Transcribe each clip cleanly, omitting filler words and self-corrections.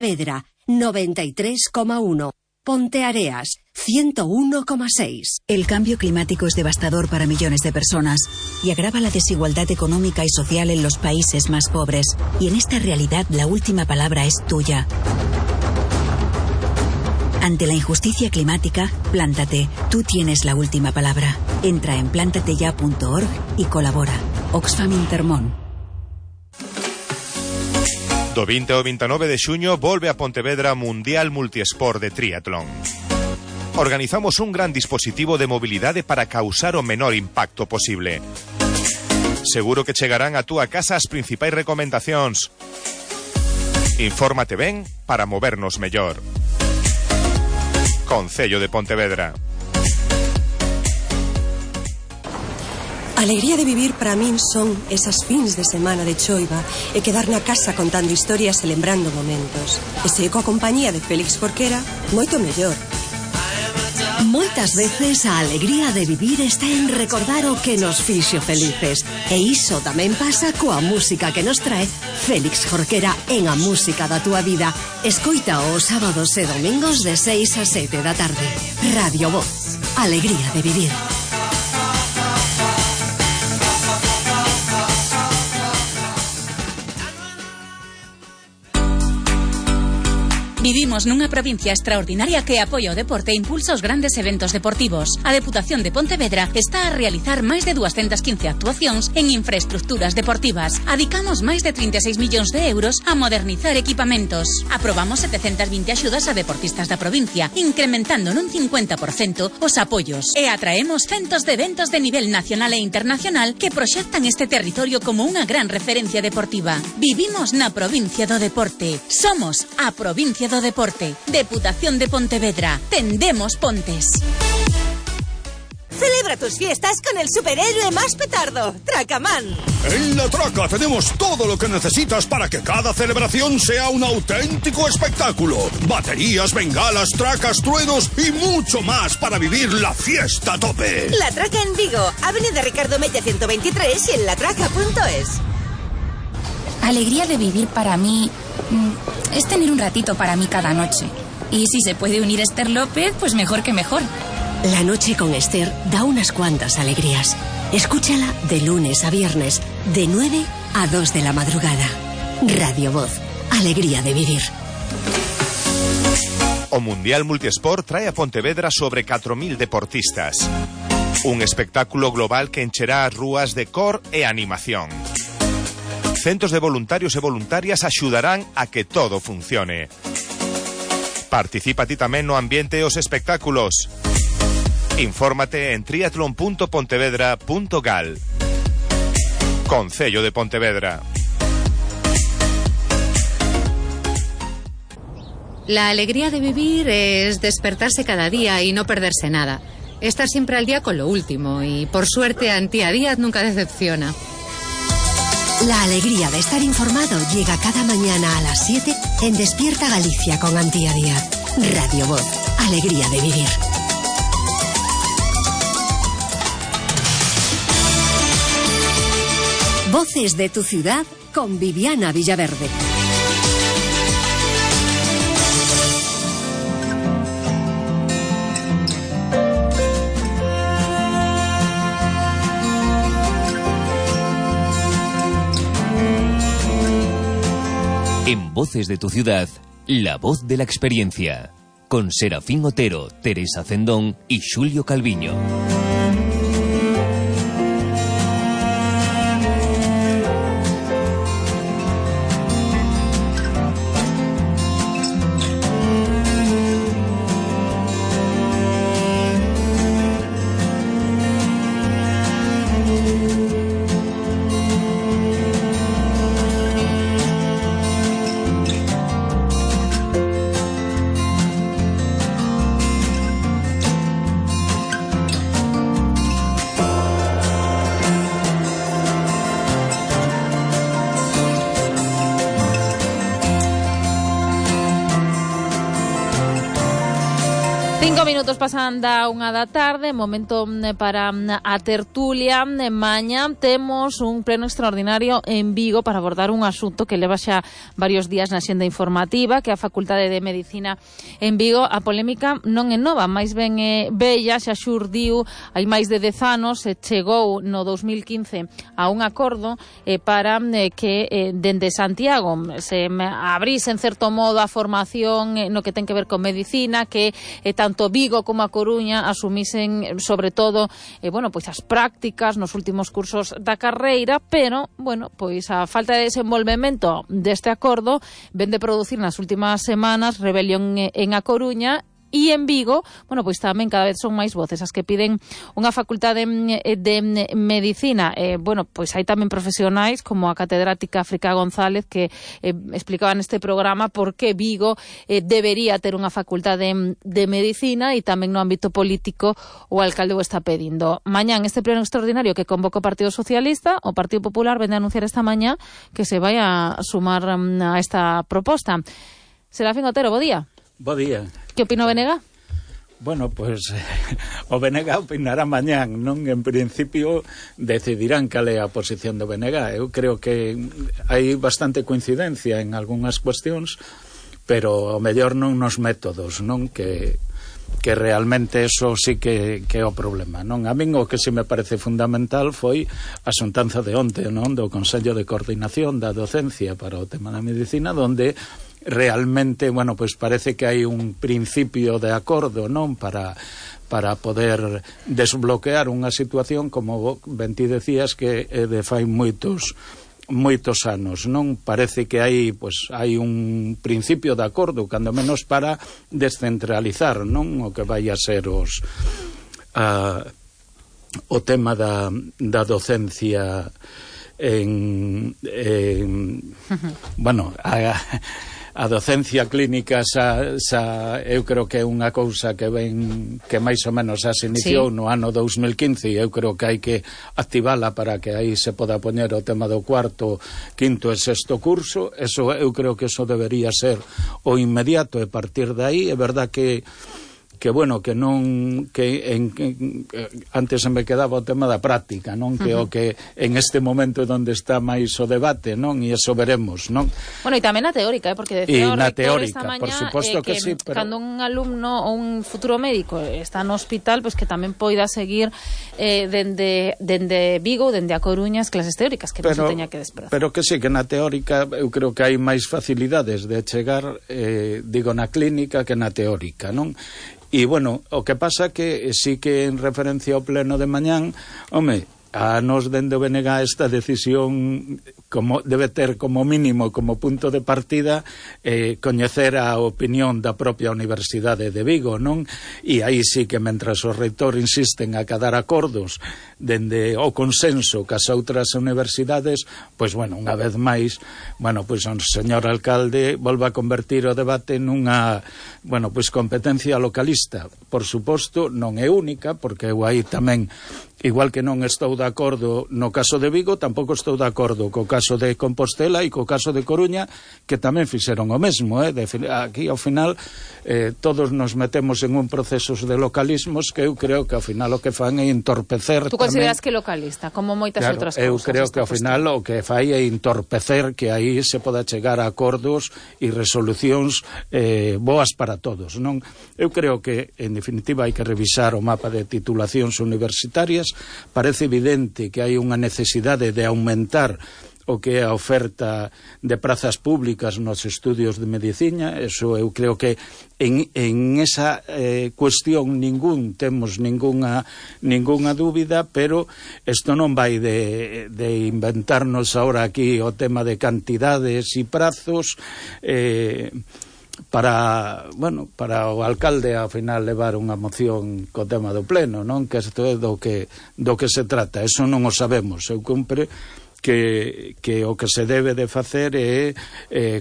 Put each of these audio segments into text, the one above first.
Vedra, 93,1. Ponteareas, 101,6. El cambio climático es devastador para millones de personas y agrava la desigualdad económica y social en los países más pobres. Y en esta realidad la última palabra es tuya. Ante la injusticia climática, plántate. Tú tienes la última palabra. Entra en plantateya.org y colabora. Oxfam Intermón. Do 20 ao 29 de xuño volve a Pontevedra Mundial Multiesport de Triatlón. Organizamos un gran dispositivo de mobilidade para causar o menor impacto posible. Seguro que chegarán a túa casa as principais recomendacións. Infórmate ben para movernos mellor. Concello de Pontevedra. Alegría de vivir para min son esas fins de semana de choiva e quedar na casa contando historias e lembrando momentos. E se coa compañía de Félix Jorquera, moito mellor. Moitas veces a alegría de vivir está en recordar o que nos fixo felices. E iso tamén pasa coa música que nos trae Félix Jorquera en A Música da Túa Vida. Escoita os sábados e domingos de 6 a 7 da tarde. Radio Voz. Alegría de vivir. Vivimos nunha provincia extraordinaria que apoia o deporte e impulsa os grandes eventos deportivos. A Deputación de Pontevedra está a realizar máis de 215 actuacións en infraestructuras deportivas. Adicamos máis de 36 millóns de euros a modernizar equipamentos. Aprobamos 720 axudas a deportistas da provincia, incrementando nun 50% os apoios. E atraemos centos de eventos de nivel nacional e internacional que proxectan este territorio como unha gran referencia deportiva. Vivimos na provincia do deporte. Somos a provincia do deporte. Deputación de Pontevedra. Tendemos pontes. Celebra tus fiestas con el superhéroe más petardo, Tracaman. En La Traca tenemos todo lo que necesitas para que cada celebración sea un auténtico espectáculo. Baterías, bengalas, tracas, truenos y mucho más para vivir la fiesta a tope. La Traca en Vigo, Avenida Ricardo Mella 123 y en latraca.es. Alegría de vivir para mí es tener un ratito para mí cada noche. Y si se puede unir Esther López, pues mejor que mejor. La noche con Esther da unas cuantas alegrías. Escúchala de lunes a viernes, de 9 a 2 de la madrugada. Radio Voz. Alegría de vivir. O Mundial Multiesport trae a Pontevedra sobre 4.000 deportistas. Un espectáculo global que encherá as rúas de cor e animación. Centos de voluntarios e voluntarias axudarán a que todo funcione. Participa ti tamén no ambiente e os espectáculos. Infórmate en triatlon.pontevedra.gal. Concello de Pontevedra. La alegría de vivir es despertarse cada día y no perderse nada. Estar siempre al día con lo último y, por suerte, Antía Díaz nunca decepciona. La alegría de estar informado llega cada mañana a las 7 en Despierta Galicia con Antía Díaz. Radio Voz. Alegría de vivir. Voces de tu ciudad con Viviana Villaverde. En Voces de tu ciudad, la voz de la experiencia. Con Serafín Otero, Teresa Cendón y Xulio Calviño. 5 minutos pasan da 1 da tarde, momento para a tertulia. Mañá temos un pleno extraordinario en Vigo para abordar un asunto que leva xa varios días na xenda informativa, que é a Facultade de Medicina en Vigo. A polémica non é nova, máis ben é bella, xa xurdiu hai máis de 10 anos, chegou no 2015 a un acordo para que dende Santiago se abrise en certo modo a formación no que ten que ver con medicina, que tanto Vigo como a Coruña asumisen sobre todo pois as prácticas nos últimos cursos da carreira, pero pois a falta de desenvolvemento deste acordo vén de producir nas últimas semanas rebelión en a Coruña. E en Vigo, pois tamén cada vez son máis voces as que piden unha facultade de medicina. Pois hai tamén profesionais como a catedrática África González que explicaba neste programa por que Vigo debería ter unha facultade de medicina, e tamén no ámbito político o alcalde o está pedindo. Mañán este pleno extraordinario que convoca o Partido Socialista, o Partido Popular vende a anunciar esta mañá que se vai a sumar a esta proposta. Serafín Otero, bo día. Bo día. Que opina o BNG? Bueno, pues o BNG opinará mañán, non? En principio decidirán cal é a posición do BNG. Eu creo que hai bastante coincidencia en algunhas cuestións, pero o mellor non nos métodos, non? Que realmente eso sí que é o problema, non? A min o que se me parece fundamental foi a xuntanza de onte, non? Do Consello de Coordinación da Docencia para o tema da medicina, donde realmente, pois parece que hai un principio de acordo, non? Para poder desbloquear unha situación, como ben ti decías, que de fai moitos anos, non? Parece que hai un principio de acordo, cando menos para descentralizar, non? O que vai a ser o tema da docencia a docencia clínica eu creo que é unha cousa que máis ou menos se iniciou no ano 2015, e eu creo que hai que activala para que aí se poda poñer o tema do cuarto, quinto e sexto curso. Eso eu creo que eso debería ser o inmediato, e partir de aí é verdad que antes se me quedaba o tema da práctica, non? Que o que en este momento é onde está máis o debate, non? E eso veremos, non? E tamén na teórica, porque decía o rector esta mañá por suposto que sí, pero cando un alumno ou un futuro médico está no hospital, pois que tamén poida seguir dende Vigo ou dende a Coruña as clases teóricas, que non se teña que desprazar. Pero que sí, que na teórica eu creo que hai máis facilidades de chegar, na clínica que na teórica, non? E, o que pasa que sí que en referencia ao pleno de mañán, a nos dende o BNG esta decisión como debe ter como mínimo, como punto de partida, coñecer a opinión da propia Universidade de Vigo, non? E aí sí que mentras o reitor insisten a cadar acordos dende o consenso cas outras universidades, pois unha vez máis, pois o señor alcalde volve a convertir o debate nunha, competencia localista. Por suposto, non é única, porque eu aí tamén, igual que non estou de acordo no caso de Vigo, tampouco estou de acordo co caso de Compostela e co caso de Coruña, que tamén fixeron o mesmo, aquí ao final todos nos metemos en un proceso de localismos que eu creo que ao final o que fan é entorpecer. Tú consideras que localista, como moitas outras cousas? Eu creo que ao final o que fai é entorpecer que aí se poda chegar a acordos e resolucións boas para todos, non? Eu creo que en definitiva hai que revisar o mapa de titulacións universitarias. Parece evidente que hai unha necesidade de aumentar o que é a oferta de prazas públicas nos estudios de medicina. Eso eu creo que en esa cuestión temos ninguna dúbida, pero isto non vai de inventarnos ahora aquí o tema de cantidades e prazos para o alcalde ao final levar unha moción co tema do pleno, non? Que isto é do que se trata. Eso non o sabemos. Eu cumpre que o que se debe de facer é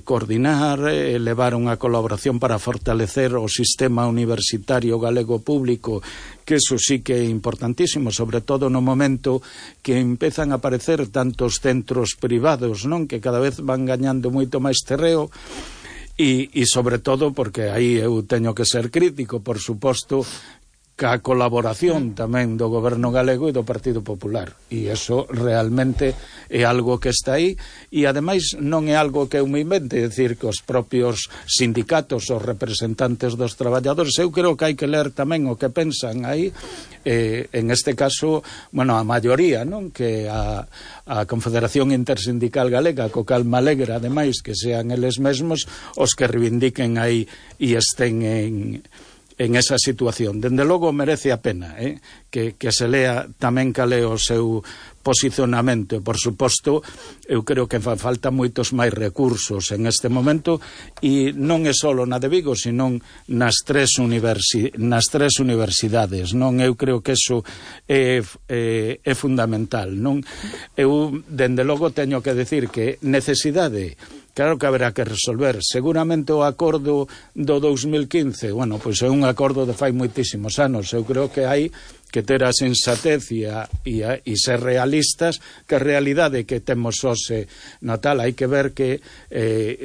coordinar, levar unha colaboración para fortalecer o sistema universitario galego público, que eso sí que é importantísimo, sobre todo no momento que empezan a aparecer tantos centros privados, non? Que cada vez van gañando moito máis terreo, e sobre todo porque aí eu teño que ser crítico, por suposto, ca colaboración tamén do goberno galego e do Partido Popular, e eso realmente é algo que está aí, e ademais non é algo que eu me invente, é dicir, que os propios sindicatos, os representantes dos traballadores, eu creo que hai que ler tamén o que pensan aí, en este caso, bueno, a maioría, non? Que a Confederación Intersindical Galega, co cal me alegra, ademais, que sean eles mesmos os que reivindiquen aí e estén en esa situación. Dende logo merece a pena que se lea tamén cal é o seu posicionamento. Por suposto, eu creo que falta moitos máis recursos en este momento, e non é só na de Vigo, senón nas tres universidades, non? Eu creo que eso é fundamental, non? Eu, dende logo, teño que decir que necesidade, claro que haberá que resolver. Seguramente o acordo do 2015, bueno, pois é un acordo de fai moitísimos anos. Eu creo que hai que ter a sensatez e ser realistas, que a realidade que temos hoxe na tal, hai que ver que,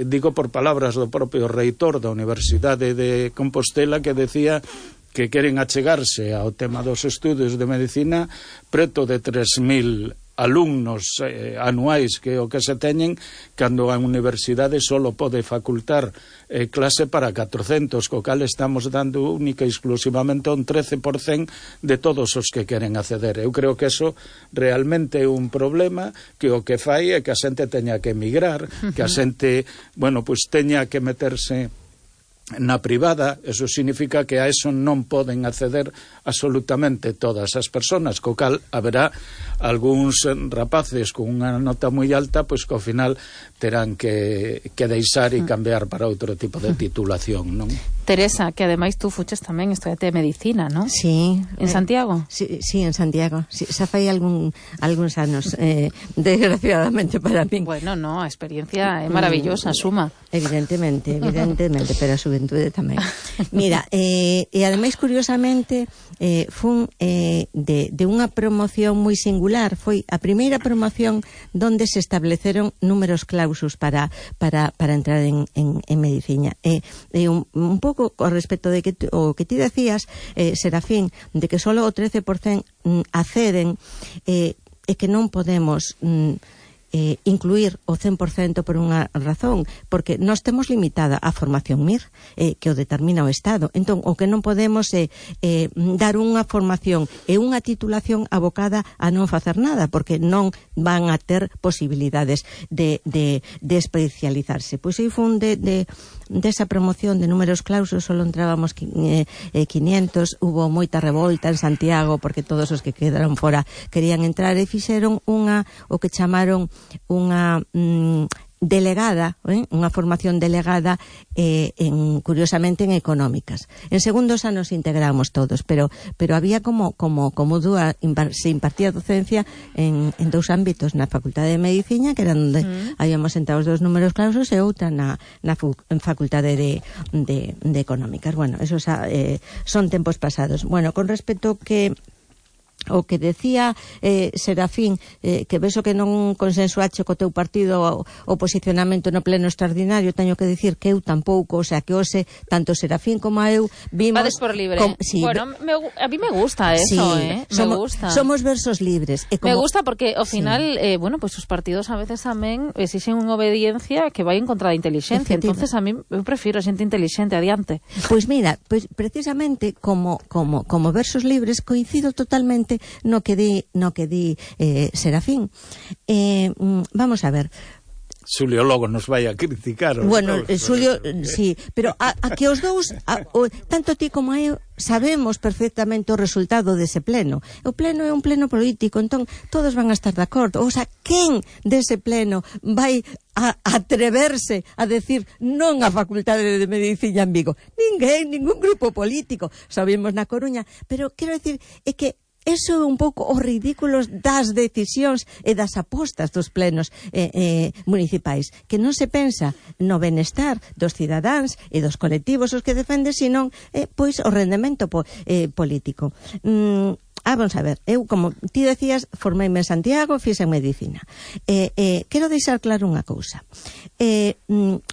digo por palabras do propio reitor da Universidade de Compostela, que decía que queren achegarse ao tema dos estudos de medicina preto de 3.000 alumnos anuais, que o que se teñen, cando a universidade solo pode facultar clase para 400, co cal estamos dando única e exclusivamente un 13% de todos os que queren acceder. Eu creo que eso realmente é un problema, que o que fai é que a xente teña que emigrar, que a xente, bueno, pois teña que meterse na privada. Eso significa que a eso non poden acceder absolutamente todas as persoas, co cal haberá algúns rapaces con unha nota moi alta, pois que ao final terán que deixar e cambiar para outro tipo de titulación, non? Teresa, que ademais tú fuches tamén estudiante de medicina, non? Sí. En Santiago? Sí, en Santiago. Sí, xa fai algúns anos, desgraciadamente para min. Bueno, no, a experiencia é maravillosa, suma. Evidentemente, pero a xuventude tamén. Mira, e ademais, curiosamente, fun de unha promoción moi singular. Foi a primeira promoción donde se estableceron números clausus para entrar en medicina. Un pouco con respecto de o que ti decías, Serafín, de que solo o 13% acceden, e que non podemos incluir o 100% por unha razón, porque nós temos limitada a formación MIR, que o determina o Estado. Entón, o que non podemos é dar unha formación e unha titulación abocada a non facer nada, porque non van a ter posibilidades de especializarse. Pois aí fun desa promoción de números clausus, solo entrábamos 500, hubo moita revolta en Santiago, porque todos os que quedaron fora querían entrar, e fixeron o que chamaron unha delegada, unha formación delegada, curiosamente en económicas. En segundos anos integramos todos, pero había como dúa, se impartía docencia en dous ámbitos, na Facultade de Medicina, que era onde habíamos sentado os dos números clausus, e outra na Facultade de Económicas. Bueno, esos son tempos pasados. Bueno, con respecto o que decía Serafín, que vexo que non consensuache co teu partido o posicionamento no pleno extraordinario, teño que dicir que eu tampouco, o sea, que hoxe tanto Serafín como eu vimos... Vades por libre. Sí, bueno, a mí me gusta eso, sí, me gusta. Somos versos libres. Me gusta porque ao final, bueno, pues os partidos a veces tamén exixen unha obediencia que vai en contra da inteligencia. Entonces a mí eu prefiro xente inteligente adiante. Pois mira, precisamente como versos libres coincido totalmente no que di Serafín. Vamos a ver. Xulio logo nos vai a criticar. Bueno, Xulio, sí, pero a que os dous, tanto ti como eu, sabemos perfectamente o resultado dese pleno. O pleno é un pleno político, entón todos van a estar de acordo. O sea, quen dese pleno vai a atreverse a decir non á Facultade de Medicina en Vigo? Ninguén, ningún grupo político. Sabemos na Coruña, pero quero decir, é que eso é un pouco os ridículos das decisións e das apostas dos plenos municipais, que non se pensa no benestar dos cidadáns e dos colectivos os que defenden, senón pois o rendemento político. vamos a ver, eu, como ti decías, formeime en Santiago, fixe en medicina. Quero deixar claro unha cousa.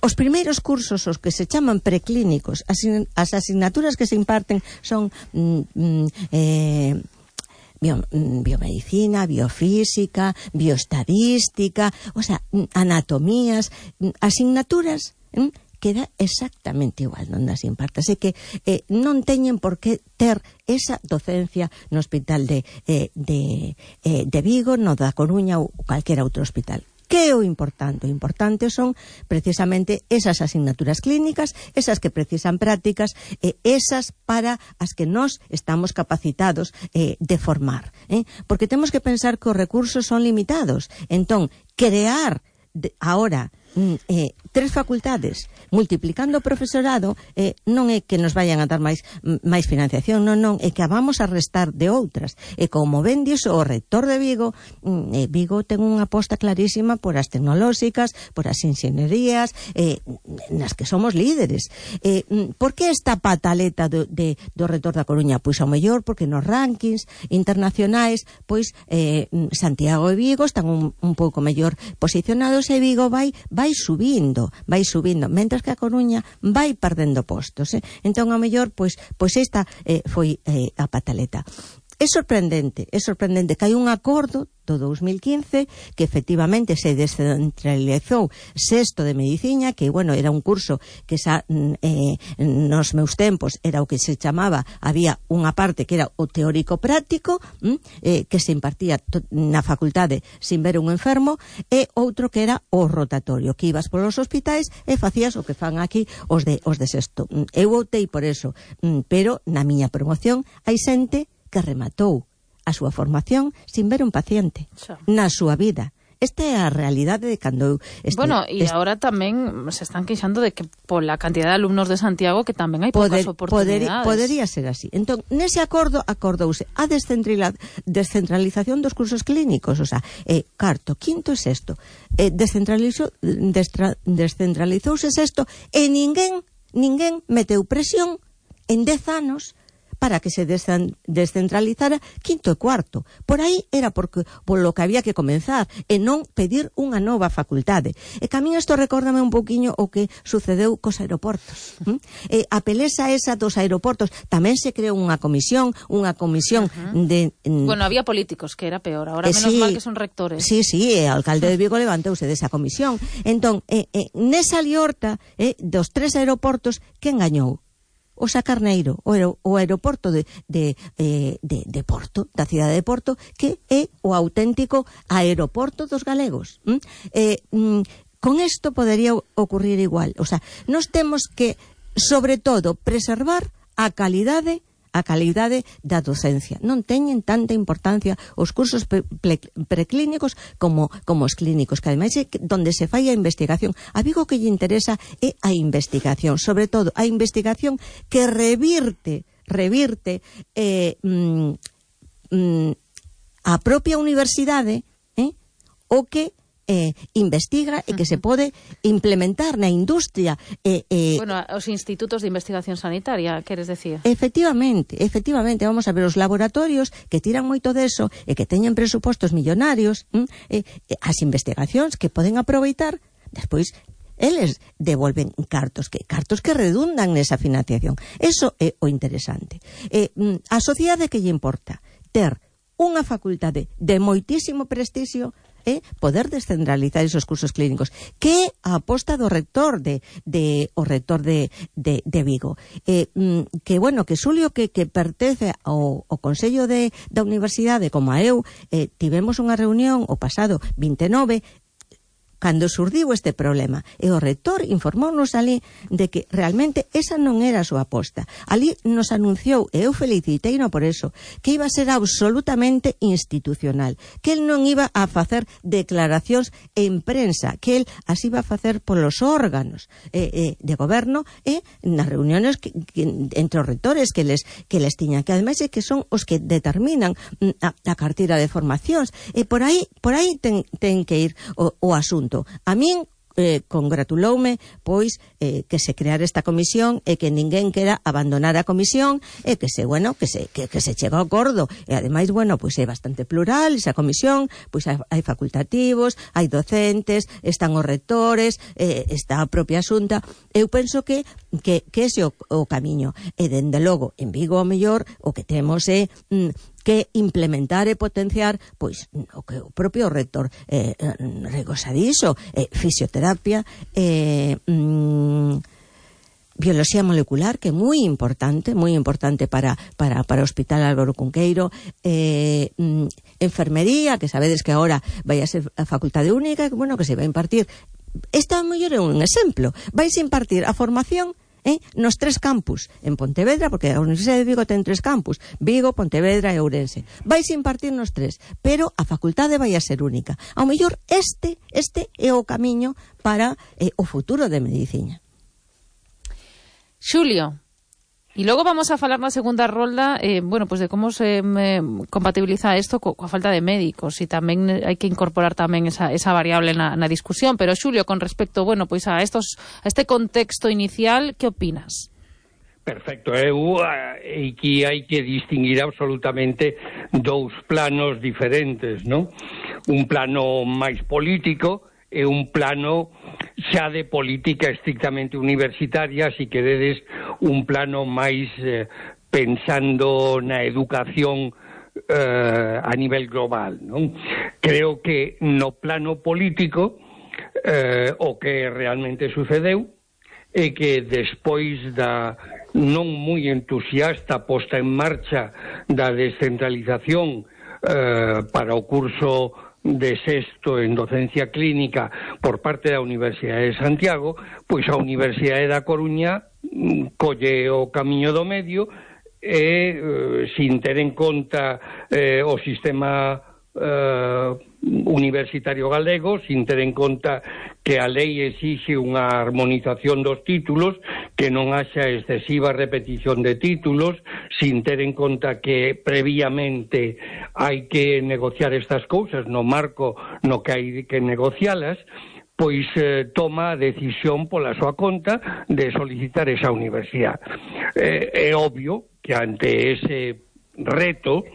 Os primeiros cursos, os que se chaman preclínicos, as asignaturas que se imparten son biomedicina, biofísica, bioestadística, o sea, anatomías, asignaturas queda exactamente igual non as impartas, é que non teñen por que ter esa docencia no hospital de Vigo, no da Coruña ou calquera outro hospital. Que é o importante? O importante son precisamente esas asignaturas clínicas, esas que precisan prácticas, esas para as que nós estamos capacitados de formar. Porque temos que pensar que os recursos son limitados. Entón, crear ahora 3 facultades multiplicando o profesorado non é que nos vayan a dar máis financiación, non, é que a vamos a restar de outras. E como ben dixo o rector de Vigo, Vigo ten unha aposta clarísima por as tecnolóxicas, por as inxenierías, nas que somos líderes. Por que esta pataleta do rector da Coruña? Pois ao mellor porque nos rankings internacionais, pois Santiago e Vigo están un pouco mellor posicionados e Vigo vai subindo, mentres que a Coruña vai perdendo postos. Entón, ao mellor, pois esta foi a pataleta. É sorprendente que hai un acordo do 2015 que efectivamente se descentralizou sexto de medicina, que, bueno, era un curso que nos meus tempos era o que se chamaba, había unha parte que era o teórico práctico, que se impartía na facultade sin ver un enfermo, e outro que era o rotatorio, que ibas polos hospitais e facías o que fan aquí os de sexto. Eu optei por eso, pero na miña promoción hai xente que rematou a súa formación sin ver un paciente na súa vida. Esta é a realidade de cando... Bueno, e agora tamén se están queixando de que pola cantidad de alumnos de Santiago que tamén hai poucas oportunidades. Podería ser así. Entón, nese acordouse a descentralización dos cursos clínicos, o sea, cuarto, quinto e sexto. Descentralizouse sexto e ninguén meteu presión en 10 anos para que se descentralizara quinto e cuarto. Por aí era polo que había que comenzar e non pedir unha nova facultade. E que a min isto recórdame un poquinho o que sucedeu cos aeroportos. A pelesa esa dos aeroportos tamén se creou unha comisión de... Bueno, había políticos, que era peor. Ahora menos mal que son rectores. Sí, o alcalde de Vigo levantouse desa comisión. Entón, nesa liorta dos 3 aeroportos, quen gañou? O Sacarneiro, o aeroporto de Porto, da cidade de Porto, que é o auténtico aeroporto dos galegos. Con isto podería ocurrir igual. O sea, nós temos que, sobre todo, preservar a calidade da docencia. Non teñen tanta importancia os cursos preclínicos como os clínicos, que ademais é donde se fai a investigación. A Vigo que lle interesa é a investigación, sobre todo a investigación que revirte a propia universidade, o que investiga e que se pode implementar na industria. Bueno, os institutos de investigación sanitaria, queres decir? Efectivamente, vamos a ver, os laboratorios que tiran moito deso e que teñen presupostos millonarios, as investigacións que poden aproveitar, despois eles devolven cartos que redundan nesa financiación. Eso é o interesante. A sociedade que lle importa ter unha facultade de moitísimo prestixio, poder descentralizar esos cursos clínicos, que a aposta do rector de Vigo, que bueno, que Xulio que pertence ao Consello da Universidade, como a eu, tivemos unha reunión o pasado 29 cando surdiu este problema, e o rector informounos ali de que realmente esa non era a súa aposta. Ali nos anunciou, e eu feliciteino por eso, que iba a ser absolutamente institucional, que el non iba a facer declaracións en prensa, que el as iba a facer polos órganos de goberno e nas reuniones entre os rectores que les tiñan, que ademais é que son os que determinan a carteira de formacións, e por aí ten que ir o asunto. A min congratuloume pois que se creara esta comisión e que ninguén quera abandonar a comisión e que se chega ao acordo e ademais, pois é bastante plural esa comisión, pois hai facultativos, hai docentes, están os rectores, está a propia Xunta. Eu penso que ese é o camiño e dende logo en Vigo ao mellor o que temos é que implementar e potenciar pois o que o propio rector regoza diso, fisioterapia, biología molecular, que é moi importante para o Hospital Álvaro Cunqueiro, enfermería, que sabedes que agora vai a ser a facultade única, que se vai a impartir. Isto a mellor é un exemplo. Vais a impartir a formación nos 3 campus en Pontevedra, porque a Universidade de Vigo ten 3 campus, Vigo, Pontevedra e Ourense. Vais a impartir nos 3, pero a facultade vai a ser única. Ao mellor este é o camiño para o futuro de medicina. Xulio, e logo vamos a falar na segunda rolda pues de como se compatibiliza isto coa falta de médicos, e tamén hai que incorporar tamén esa variable na discusión. Pero Xulio, con respecto pues a este contexto inicial, que opinas? Perfecto, aquí hai que distinguir absolutamente dous planos diferentes, non? Un plano máis político e un plano xa de política estrictamente universitaria, si queredes, un plano máis pensando na educación a nivel global, non? Creo que no plano político o que realmente sucedeu é que despois da non moi entusiasta posta en marcha da descentralización para o curso de sexto en docencia clínica por parte da Universidade de Santiago, pois a Universidade da Coruña colle o camiño do medio e sin ter en conta o sistema universitario galego, sin ter en conta que a lei exixe unha armonización dos títulos, que non haxa excesiva repetición de títulos, sin ter en conta que previamente hai que negociar estas cousas no marco no que hai que negocialas, pois toma a decisión pola súa conta de solicitar esa universidade. É obvio que ante ese reto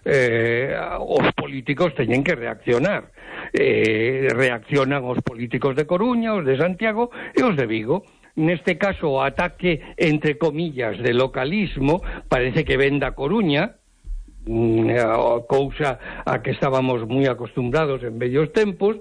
os políticos teñen que reaccionar. Reaccionan os políticos de Coruña, os de Santiago e os de Vigo. Neste caso, o ataque, entre comillas, de localismo parece que ven da Coruña, cousa a que estábamos moi acostumbrados en vellos tempos,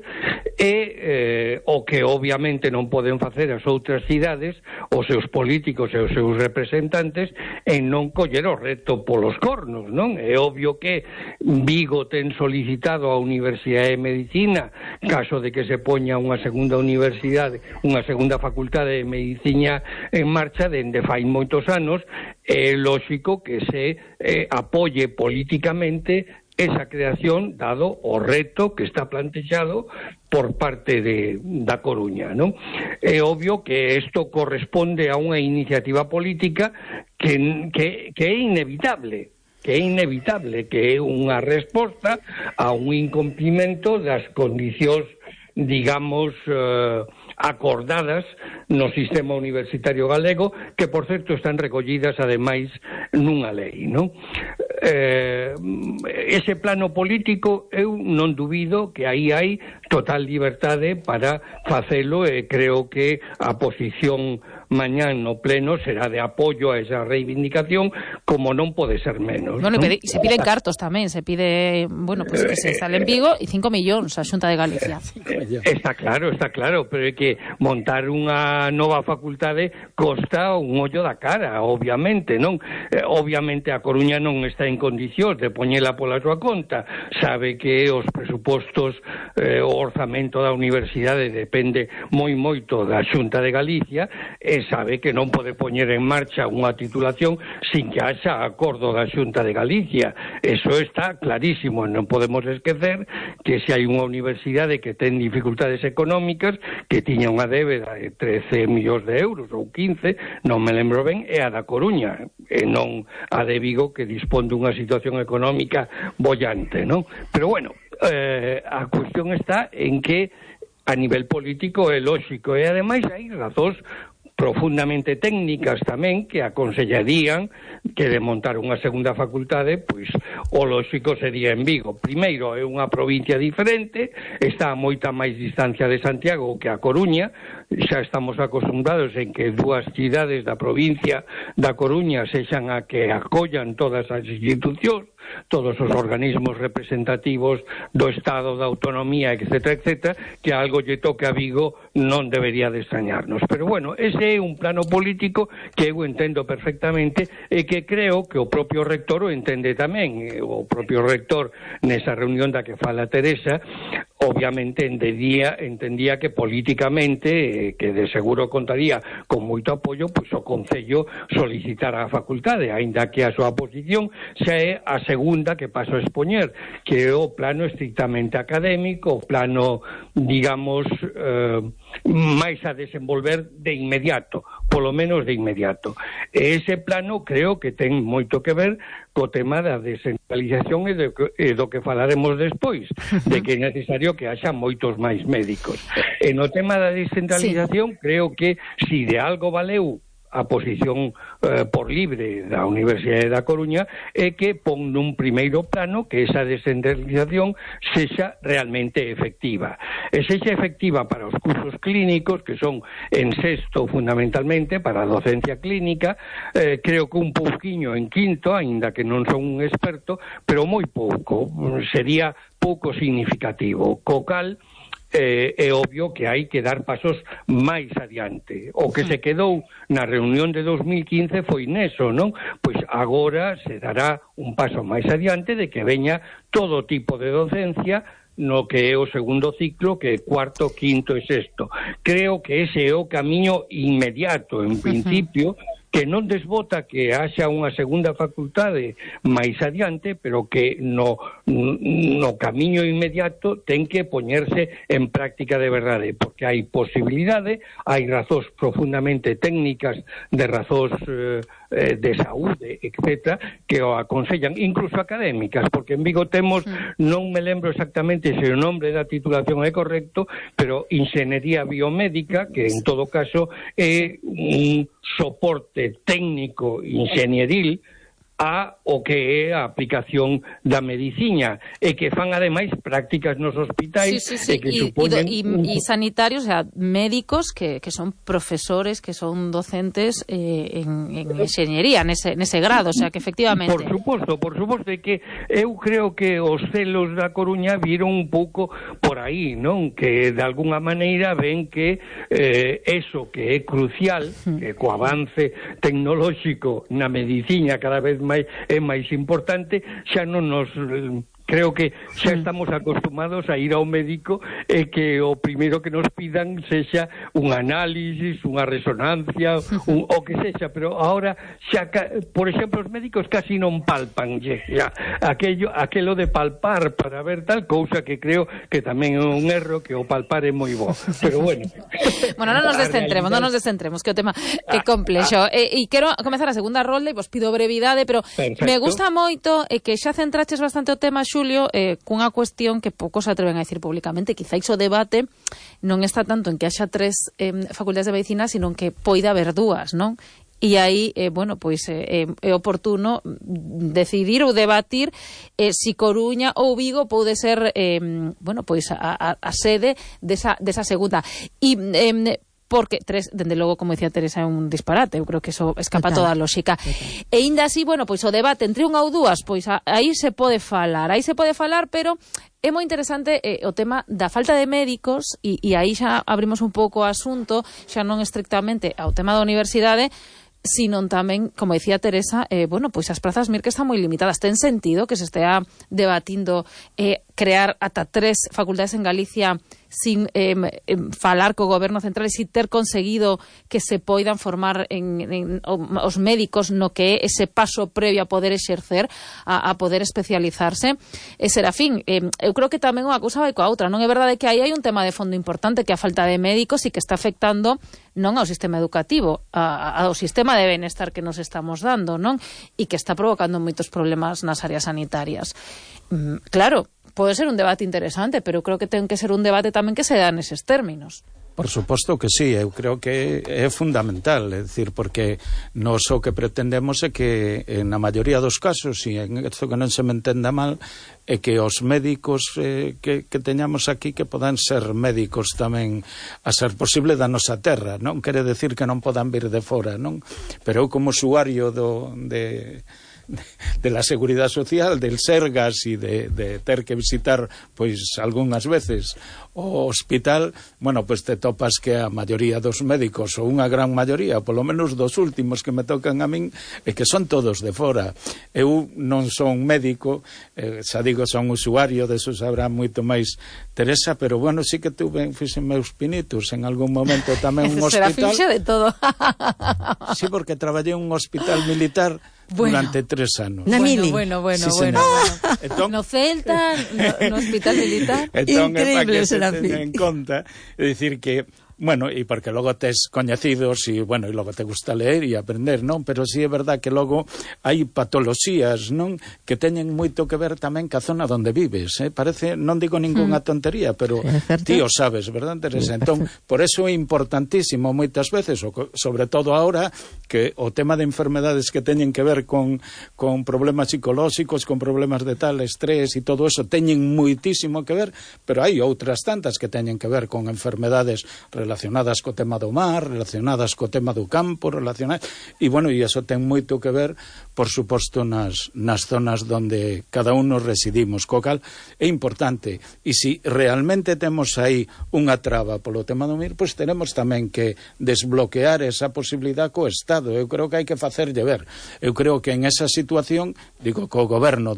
e o que obviamente non poden facer as outras cidades, os seus políticos e os seus representantes, en non coller o reto polos cornos, non? É obvio que Vigo ten solicitado a Universidade de Medicina, caso de que se poña unha segunda universidade, unha segunda facultade de Medicina en marcha dende fai moitos anos. É lógico que se apoie políticamente esa creación, dado o reto que está plantexado por parte da Coruña, non? É obvio que isto corresponde a unha iniciativa política que é inevitable, que é unha resposta a un incumprimento das condicións, digamos, acordadas no sistema universitario galego, que, por certo, están recollidas, ademais, nunha lei, non? Ese plano político, eu non dubido que aí hai total liberdade para facelo, e creo que a posición mañán no pleno será de apoio a esa reivindicación, como non pode ser menos. Bueno, ¿no? Se piden cartos tamén, se pide, pues que se instale en Vigo, e 5 millóns a Xunta de Galicia. Está claro, pero é que montar unha nova facultade costa un ollo da cara, obviamente, non? Obviamente a Coruña non está en condicións de poñela pola súa conta, sabe que os presupostos, o orzamento da universidade depende moito da Xunta de Galicia, e sabe que non pode poñer en marcha unha titulación sin que haxa acordo da Xunta de Galicia. Eso está clarísimo. Non podemos esquecer que se hai unha universidade que ten dificultades económicas, que tiña unha débeda de 13 millóns de euros ou 15, non me lembro ben, é a da Coruña, e non a de Vigo, que dispón dunha situación económica bollante, non? Pero bueno, a cuestión está en que a nivel político é lóxico, e ademais hai razóns profundamente técnicas tamén que aconsellarían que de montar unha segunda facultade, pois o lóxico sería en Vigo. Primeiro, é unha provincia diferente, está a moita máis distancia de Santiago que a Coruña, xa estamos acostumbrados en que dúas cidades da provincia da Coruña sexan a que acollan todas as institucións, todos os organismos representativos do Estado, da autonomía, etcétera, etcétera, que algo lle toque a Vigo non debería de extrañarnos. Pero bueno, ese é un plano político que eu entendo perfectamente e que creo que o propio rector o entende tamén. O propio rector nesa reunión da que fala Teresa obviamente entendía que políticamente, que de seguro contaría con moito apoio, pois o Concello solicitara a facultade, aínda que a súa posición xa é a segunda que paso a expoñer, que é o plano estrictamente académico, o plano, digamos, máis a desenvolver de inmediato, polo menos de inmediato. E ese plano creo que ten moito que ver co tema da descentralización e do que falaremos despois, de que é necesario que haxa moitos máis médicos. E no tema da descentralización, creo que si de algo valeu a posición por libre da Universidade da Coruña é que pon nun primeiro plano que esa descentralización sexa realmente efectiva. E sexa efectiva para os cursos clínicos, que son en sexto fundamentalmente, para a docencia clínica, creo que un pouquiño en quinto, aínda que non son un experto, pero moi pouco, sería pouco significativo. Co cal, é obvio que hai que dar pasos máis adiante. O que se quedou na reunión de 2015 foi neso, non? Pois agora se dará un paso máis adiante de que veña todo tipo de docencia no que é o segundo ciclo, que é cuarto, quinto e sexto. Creo que ese é o camiño inmediato, en principio, que non desbota que haxa unha segunda facultade máis adiante, pero que no camiño inmediato ten que poñerse en práctica de verdade, porque hai posibilidade, hai razóns profundamente técnicas, de razóns de saúde, etcétera, que o aconsellan, incluso académicas, porque en Vigo temos, non me lembro exactamente se o nombre da titulación é correcto, pero Inxeniería Biomédica, que en todo caso é un soporte técnico inxenieril a o que é a aplicación da medicina e que fan ademais prácticas nos hospitais e que supoñen y sanitarios, o sea, médicos que son profesores, que son docentes en enxeñería, nese grado, o sea, que efectivamente por suposto que eu creo que os celos da Coruña viron un pouco por aí, non? Que de alguna maneira ven que eso que é crucial, que co avance tecnolóxico na medicina cada vez é máis importante, xa non nos... Creo que xa estamos acostumados a ir ao médico e que o primeiro que nos pidan sexa un análisis, unha resonancia, o que sexa, pero ahora xa, por exemplo, os médicos casi non palpan, xa, aquelo de palpar para ver tal cousa que creo que tamén é un erro, que o palpar é moi bo, pero bueno. Bueno, non nos descentremos, que o tema é complexo. E quero comezar a segunda rolda e vos pido brevidade, pero perfecto. Me gusta moito que xa centraches bastante o tema, Xulio, cunha cuestión que poucos se atreven a decir públicamente. Quizáis o debate non está tanto en que haxa 3 facultades de medicina, sino en que poida haber 2, non? E aí, bueno, pois é oportuno decidir ou debatir si Coruña ou Vigo pode ser, bueno, pois a sede desa segunda. E porque 3, dende logo, como dicía Teresa, é un disparate, eu creo que eso escapa toda a lógica. E ainda así, bueno, pois o debate entre unha ou 2, pois aí se pode falar, pero é moi interesante o tema da falta de médicos, e aí xa abrimos un pouco o asunto, xa non estrictamente ao tema da universidade, sino tamén, como dicía Teresa, bueno, pois as prazas MIR que están moi limitadas. Ten sentido que se estea debatindo crear ata 3 facultades en Galicia sin falar co goberno central e sin ter conseguido que se poidan formar os médicos no que é ese paso previo a poder exercer, a poder especializarse. Serafín, eu creo que tamén unha cousa vai coa outra, non é verdade que aí hai un tema de fondo importante, que é a falta de médicos e que está afectando non ao sistema educativo, ao sistema de benestar que nos estamos dando, non? E que está provocando moitos problemas nas áreas sanitarias. Claro, pode ser un debate interesante, pero creo que ten que ser un debate tamén que se dá neses términos. Por suposto que sí, eu creo que é fundamental, é dicir, porque nos o que pretendemos é que na maioría dos casos, e en isto que non se me entenda mal, é que os médicos que teñamos aquí que podan ser médicos tamén a ser posible da nosa terra, non quere decir que non podan vir de fora, non? Pero eu como usuario de la Seguridade Social, del Sergas e de ter que visitar pois algunhas veces o hospital, bueno, pois te topas que a maioría dos médicos, ou unha gran maioría, polo menos dos últimos que me tocan a min, é que son todos de fora. Eu non son médico, xa digo, son usuario, deso sabrá moito máis Teresa, pero bueno, sí que tuve fixen meus pinitos en algún momento tamén un hospital. Será fixe de todo. Sí, porque traballei en un hospital militar durante 3 anos. Na Mili. Bueno. Entón, no Celta, no Hospital Militar. Entón, increíble, será en conta, é dicir que bueno, e porque logo tes coñecidos e, bueno, e logo te gusta leer e aprender, non? Pero sí é verdad que logo hai patoloxías, non? Que teñen moito que ver tamén ca zona onde vives, Parece, non digo ningunha tontería, pero ti o sabes, verdad, Teresa? Entón, por eso é importantísimo moitas veces, sobre todo ahora, que o tema de enfermedades que teñen que ver con problemas psicolóxicos, con problemas de tal, estrés e todo eso, teñen moitísimo que ver, pero hai outras tantas que teñen que ver con enfermedades relacionadas co tema do mar, relacionadas co tema do campo, e bueno, e iso ten moito que ver, por suposto, nas zonas onde cada uno residimos, co cal é importante, e se realmente temos aí unha traba polo tema do mir, pois teremos tamén que desbloquear esa posibilidad co Estado. Eu creo que hai que facerlle ver. Eu creo que en esa situación, digo, co goberno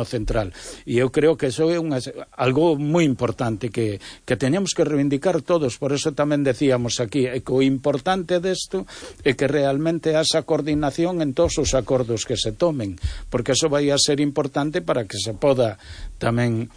central, e eu creo que iso é algo moi importante que teñamos que reivindicar todos. Por eso tamén decíamos aquí que o importante desto é que realmente haxa coordinación en todos os acordos que se tomen, porque eso vai a ser importante para que se poda tamén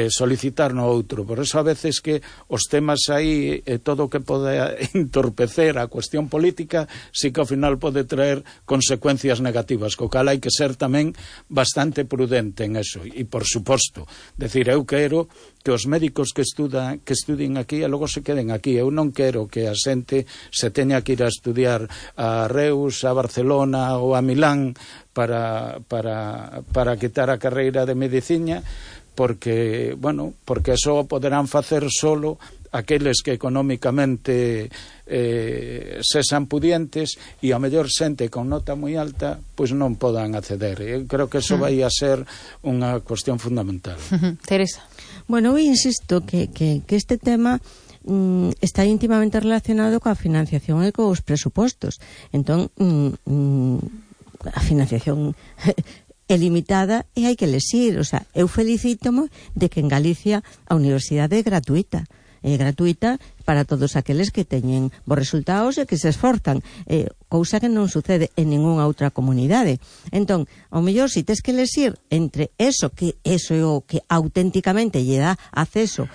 solicitar no outro. Por eso a veces que os temas aí, todo o que pode entorpecer a cuestión política, sí que ao final pode traer consecuencias negativas, co cal hai que ser tamén bastante prudente en eso. E por suposto, decir, eu quero que os médicos que estudien aquí e logo se queden aquí. Eu non quero que a xente se teña que ir a estudiar a Reus, a Barcelona ou a Milán para quitar a carreira de medicina, porque eso poderán facer solo aqueles que económicamente sexan pudientes e a mellor xente con nota moi alta pois non podan acceder. Eu creo que eso vai a ser unha cuestión fundamental. Teresa. Bueno, eu insisto que este tema está íntimamente relacionado coa financiación e cos presupostos. Entón, a financiación é limitada e hai que lexir. O sea, eu felicítomo de que en Galicia a universidade é gratuita. É gratuita para todos aqueles que teñen bons resultados e que se esforzan, cousa que non sucede en ningunha outra comunidade. Entón, ao mellor, se tes que lexir entre eso é o que auténticamente lle dá acceso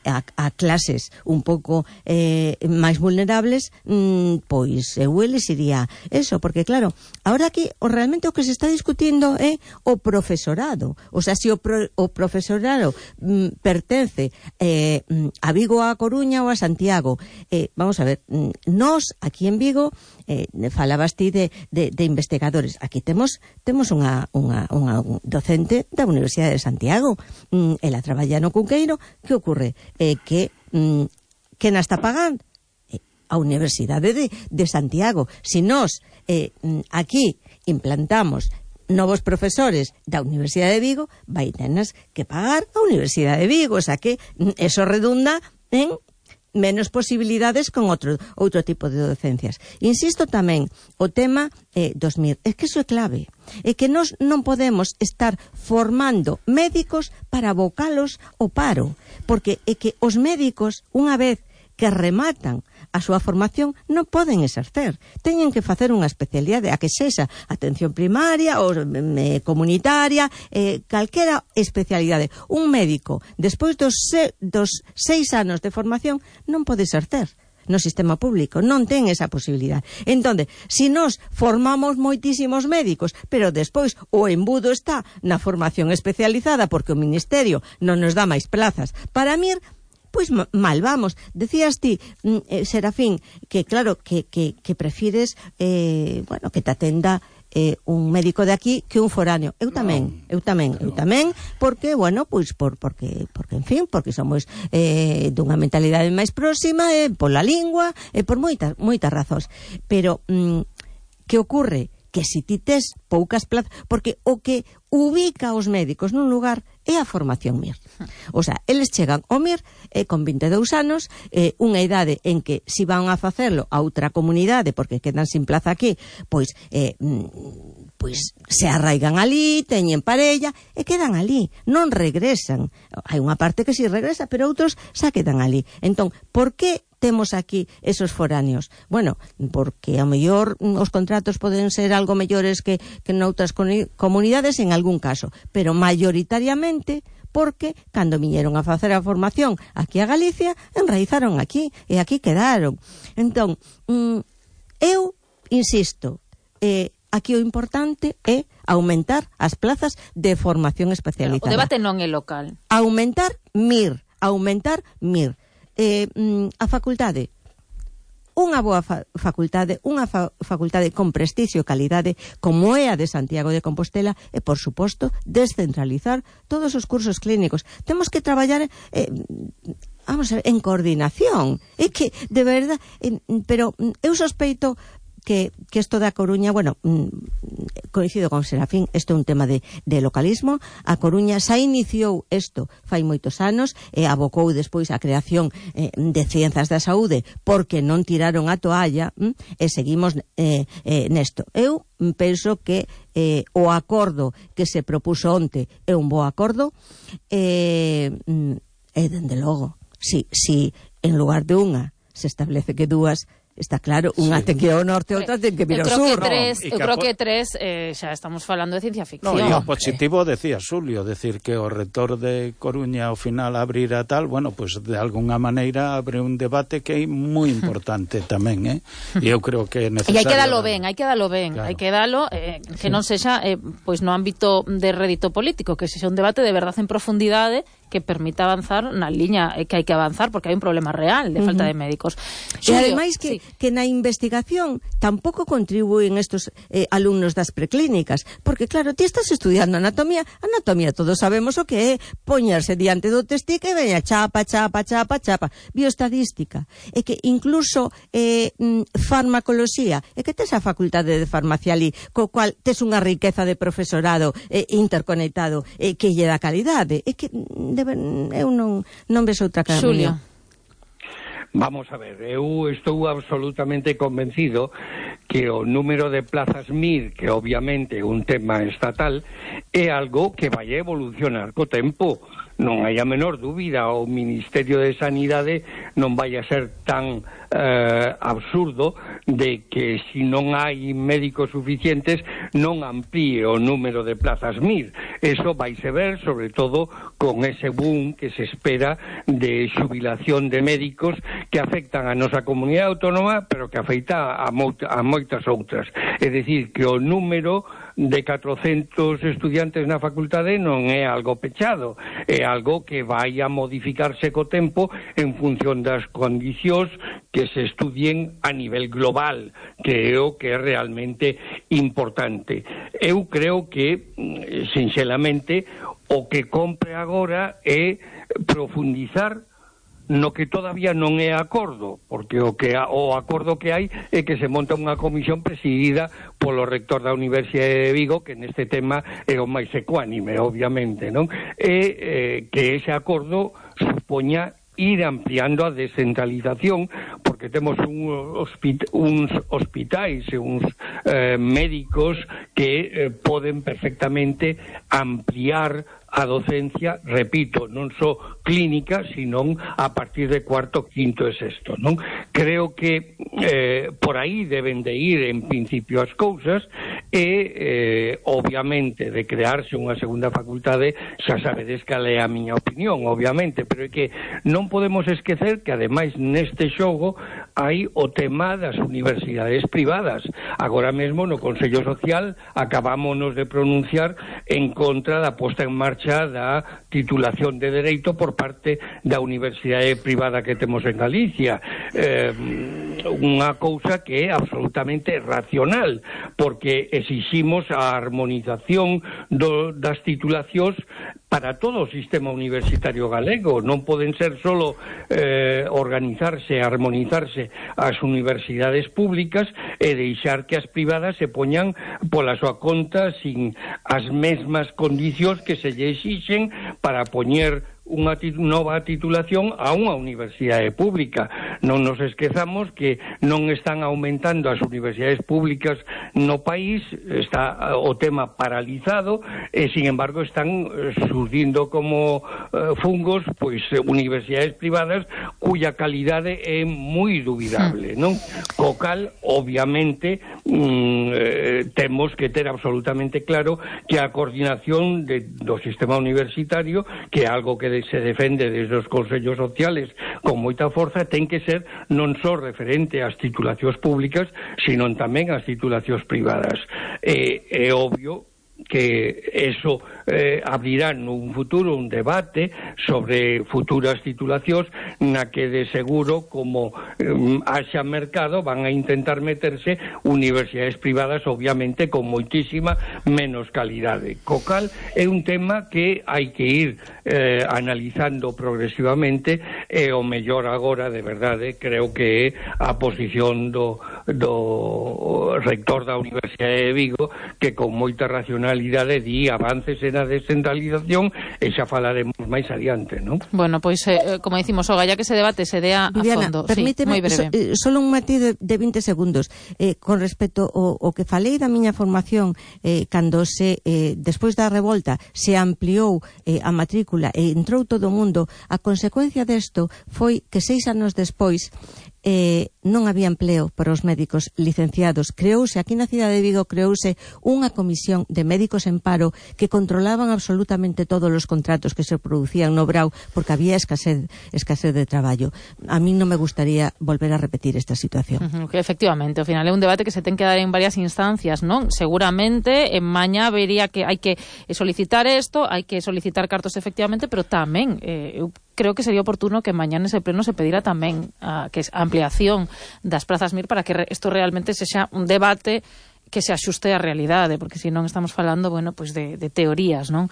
a clases un pouco máis vulnerables, pois eu elexiría eso, porque claro, ahora aquí realmente o que se está discutindo é o profesorado. O sea, se o profesorado pertence a Vigo, a Coruña ou a Santiago. Vamos a ver, nós aquí en Vigo falabas ti de investigadores. Aquí temos unha docente da Universidade de Santiago. Ela traballa no Cunqueiro. Que ocorre? Que na está pagando? A Universidade de Santiago. Se nós aquí implantamos novos profesores da Universidade de Vigo, vai tenas que pagar a Universidade de Vigo. O sea que eso redunda en menos posibilidades con outro tipo de docencias. Insisto tamén, o tema dos MIR, é que iso é clave. É que nós non podemos estar formando médicos para abocalos ao paro, porque é que os médicos, unha vez que rematan a súa formación, non poden exercer. Teñen que facer unha especialidade, a que sexa atención primaria ou comunitaria, calquera especialidade. Un médico, despois dos 6 anos de formación, non pode exercer, no sistema público, non ten esa posibilidade. Entón, se nós formamos moitísimos médicos, pero despois o embudo está na formación especializada porque o Ministerio non nos dá máis plazas para MIR, pois mal vamos. Decías ti, Serafín, que claro, que prefires bueno, que te atenda un médico de aquí que un foráneo. Eu tamén, porque, bueno, pois porque en fin, porque somos dunha mentalidade máis próxima, pola lingua, por moitas razóns. Pero que ocorre? Que si ti tes poucas plazas, porque o que ubica os médicos nun lugar é a formación MIR. O sea, eles chegan ao MIR con 22 anos, unha idade en que si van a facelo a outra comunidade porque quedan sin plaza aquí, pois se arraigan ali, teñen parella e quedan ali, non regresan. Hai unha parte que si regresa, pero outros xa quedan ali. Entón, por que temos aquí esos foráneos? Bueno, porque a mellor os contratos poden ser algo mellores que noutras comunidades en algún caso, pero mayoritariamente porque cando viñeron a facer a formación aquí a Galicia, enraizaron aquí e aquí quedaron. Entón, eu insisto, aquí o importante é aumentar as plazas de formación especializada. O debate non é local. Aumentar MIR. A facultade, unha boa facultade, unha facultade con prestixio e calidade como é a de Santiago de Compostela, e por suposto descentralizar todos os cursos clínicos. Temos que traballar vamos a ver, en coordinación. É que, de verdade, pero eu sospeito que isto da Coruña, bueno, coincido con Serafín, isto é un tema de localismo. A Coruña xa iniciou isto fai moitos anos e abocou despois a creación de ciencias da saúde porque non tiraron a toalla e seguimos nesto. Eu penso que o acordo que se propuso onte é un bo acordo e dende logo, si en lugar de unha se establece que dúas, está claro, unha ten que ir ao norte e outra ten que vir ao sur. Eu creo que tres xa estamos falando de ciencia ficción. No, e o positivo, decía Xulio, decir que o rector de Coruña ao final abrirá tal, bueno, pues de alguna maneira abre un debate que é moi importante tamén, e eu creo que é necesario. E hai que dalo ben, claro. Hai que dalo, que non sexa pois no ámbito de rédito político, que sexa un debate de verdade en profundidade que permita avanzar na liña que hai que avanzar, porque hai un problema real de falta de médicos. E ademais que na investigación tampouco contribúen estos alumnos das preclínicas, porque claro, ti estás estudiando anatomía todos sabemos o que é poñerse diante do testique e veña chapa, bioestadística, e que incluso farmacoloxía, e que tes a facultade de farmacia ali, co cual tes unha riqueza de profesorado interconectado que lle dá calidade, e que eu non ves outra cara. Xulio. Vamos a ver, eu estou absolutamente convencido que o número de plazas MIR, que obviamente é un tema estatal, é algo que vai evolucionar co tempo. Non hai a menor dúbida, o Ministerio de Sanidade non vai a ser tan absurdo de que si non hai médicos suficientes non amplíe o número de plazas MIR. Eso vaise ver sobre todo con ese boom que se espera de xubilación de médicos que afectan a nosa comunidade autónoma, pero que afecta a moitas outras. É dicir, que o número de 400 estudiantes na facultade non é algo pechado, é algo que vai a modificarse co tempo en función das condicións que se estudien a nivel global, que é o que é realmente importante. Eu creo que, sinxelamente, o que compre agora é profundizar no que todavía non é acordo, porque o acordo que hai é que se monta unha comisión presidida polo rector da Universidade de Vigo, que neste tema é o máis ecuánime, obviamente, non? E que ese acordo supoña ir ampliando a descentralización, porque temos uns hospitais e uns médicos que poden perfectamente ampliar a docencia, repito, non só clínica, sino a partir de cuarto, quinto e sexto, non? Creo que por aí deben de ir en principio as cousas e obviamente de crearse unha segunda facultade, xa sabedes cal é a miña opinión, obviamente, pero é que non podemos esquecer que ademais neste xogo hai o tema das universidades privadas. Agora mesmo no Consello Social acabámonos de pronunciar en contra da posta en marcha da titulación de Dereito por parte da universidade privada que temos en Galicia. Unha cousa que é absolutamente racional, porque exiximos a armonización das titulacións para todo o sistema universitario galego. Non poden ser solo organizarse, armonizarse as universidades públicas e deixar que as privadas se poñan pola súa conta sin as mesmas condicións que se lle exixen para poñer unha nova titulación a unha universidade pública. Non nos esquezamos que non están aumentando as universidades públicas no país, está o tema paralizado e, sin embargo, están surdindo como fungos pois universidades privadas cuya calidade é moi dubidable, non? Co cal, obviamente, temos que ter absolutamente claro que a coordinación do sistema universitario, que é algo que se defende desde os consellos sociales con moita forza, ten que ser non só referente ás titulacións públicas, sino tamén ás titulacións privadas. É obvio que eso abrirá nun futuro un debate sobre futuras titulacións na que de seguro, como haxa mercado, van a intentar meterse universidades privadas, obviamente con moitísima menos calidade. Co cal é un tema que hai que ir analizando progresivamente e o mellor agora, de verdade, creo que é a posición do rector da Universidade de Vigo, que con moita racionalidade di avances na descentralización e xa falaremos máis adiante, non? Bueno, pois, como dicimos, o galla que se debate se dea a fondo. Permíteme, sí, solo un matiz de 20 segundos. Con respecto ao que falei da miña formación, cando despois da revolta se ampliou a matrícula e entrou todo o mundo, a consecuencia desto foi que 6 anos despois non había empleo para os médicos licenciados. Creouse, aquí na cidade de Vigo, unha comisión de médicos en paro que controlaban absolutamente todos os contratos que se producían no Brau, porque había escasez de traballo. A mí non me gustaría volver a repetir esta situación. Efectivamente, ao final é un debate que se ten que dar en varias instancias, non? Seguramente en mañá vería que hai que solicitar isto, hai que solicitar cartos efectivamente, pero tamén eu creo que sería oportuno que mañá nese pleno se pedira tamén a ampliación das prazas MIR para que isto realmente sexa un debate que se axuste á realidade, porque se non estamos falando, bueno, pois de teorías, non?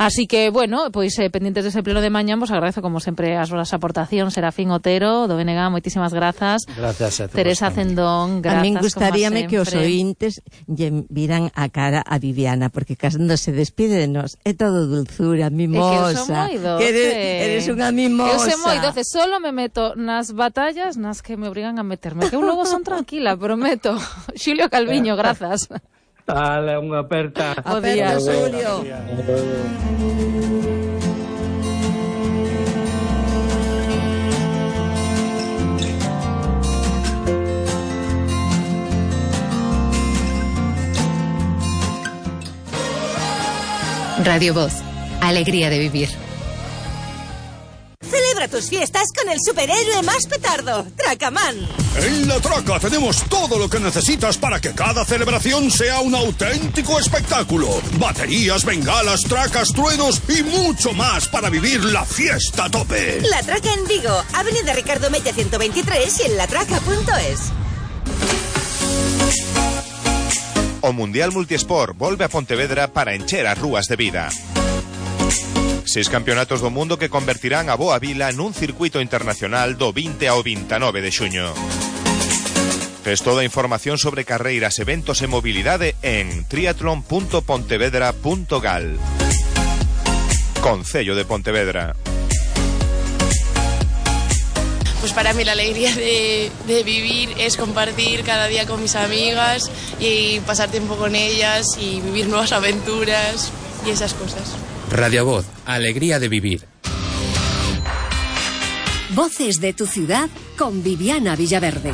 Así que, bueno, pois pendientes dese pleno de mañá, vos agradezo como sempre as vossas aportacións. Serafín Otero, do BNG, moitísimas grazas. Gracias a todos. Teresa Cendón, grazas. A min gustaríame que os ointes lle viran a cara a Viviana, porque cando se despide de nós é todo dulzura, mimosa. É que eu son moi doce. Eres unha mimosa. Eu son moi doce, solo me meto nas batallas nas que me obrigan a meterme, que eu logo son tranquila, prometo. Xulio Calviño, grazas. Dale, unha aperta. Aperta, Xulio. Radio Voz, alegría de vivir. Celebra tus fiestas con el superhéroe más petardo, Tracaman. En La Traca tenemos todo lo que necesitas para que cada celebración sea un auténtico espectáculo. Baterías, bengalas, tracas, truenos y mucho más para vivir la fiesta a tope. La Traca en Vigo, Avenida Ricardo Mella 123 y en latraca.es. O Mundial Multisport volve a Pontevedra para encher as rúas de vida. 6 campeonatos do mundo que convertirán a Boa Vila nun circuito internacional do 20 ao 29 de xuño. Tes toda a información sobre carreiras, eventos e mobilidade en triatlon.pontevedra.gal. Concello de Pontevedra. Pues para mí la alegría de vivir es compartir cada día con mis amigas y pasar tiempo con ellas y vivir nuevas aventuras y esas cosas. Radio Voz, alegría de vivir. Voces de tu ciudad con Viviana Villaverde.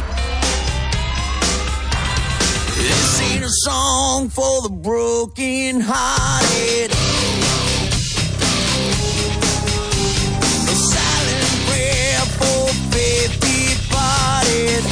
This ain't a song for the broken hearted. A silent prayer for faith departed.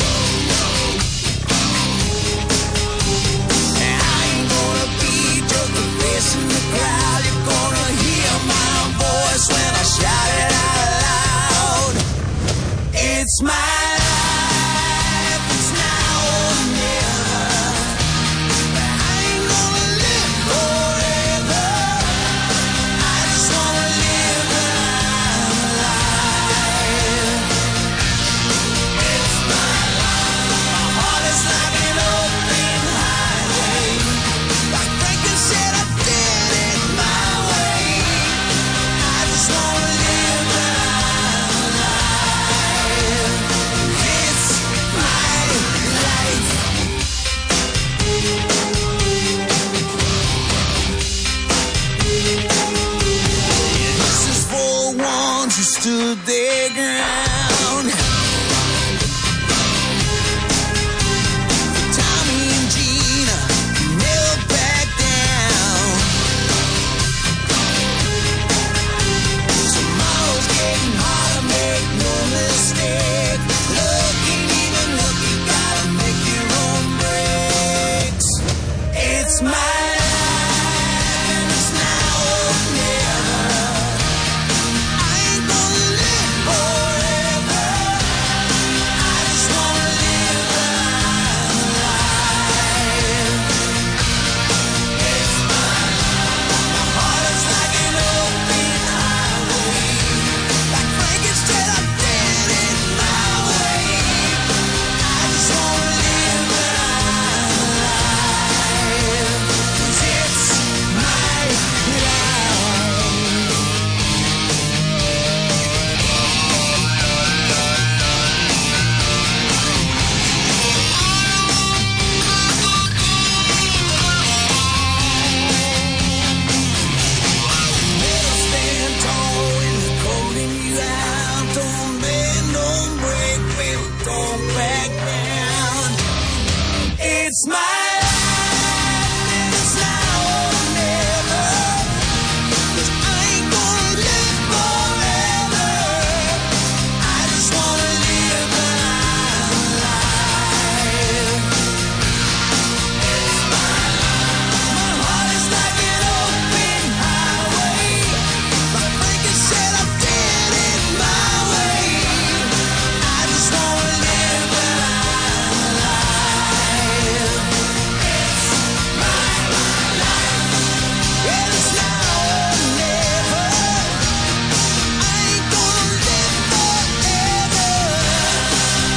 It's my life, and it's now or never. I ain't gonna live forever. I just wanna live my life. It's my life. My heart is like an open highway. Like Frankenstein said, I did it my way. I just wanna live my life. 'Cause it's my life. Never stand tall when they're calling you out. Don't bend, don't break, baby, don't back down. It's my life, and it's now or never. 'Cause I ain't gonna live forever. I just wanna live my life. It's my life. My heart is like an open highway. Like Franklin said, I did it my way. I just wanna live my life. It's my life, and it's now or never. I ain't gonna live forever.